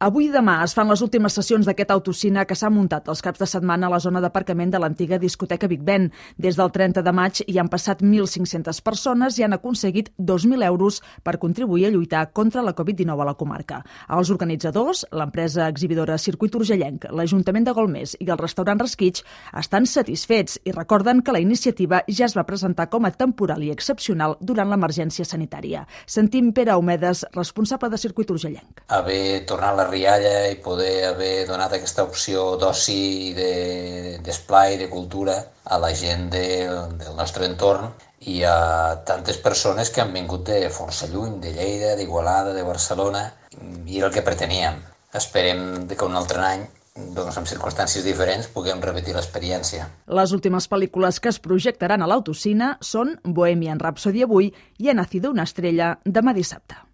Avui i demà es fan les últimes sessions d'aquest autocine que s'ha muntat els caps de setmana a la zona d'aparcament de l'antiga discoteca Big Ben. Des del 30 de maig hi han passat 1.500 persones i han aconseguit 2.000 euros per contribuir a lluitar contra la Covid-19 a la comarca. Els organitzadors, l'empresa exhibidora Circuit Urgellenc, l'Ajuntament de Golmés i el restaurant Resquitx estan satisfets i recorden que la iniciativa ja es va presentar com a temporal i excepcional durant l'emergència sanitària. Sentim Pere Aumedes, responsable de Circuit Urgellenc. Haver tornat la rialla i poder haver donat aquesta opció d'oci, d'esplai, de cultura a la gent del nostre entorn i a tantes persones que han vingut de força lluny, de Lleida, d'Igualada, de Barcelona, i era el que preteníem. Esperem que un altre any, doncs, en circumstàncies diferents, puguem repetir l'experiència. Les últimes pel·lícules que es projectaran a l'autocine són Bohemian Rhapsody avui i Ha nacido una estrella demà dissabte.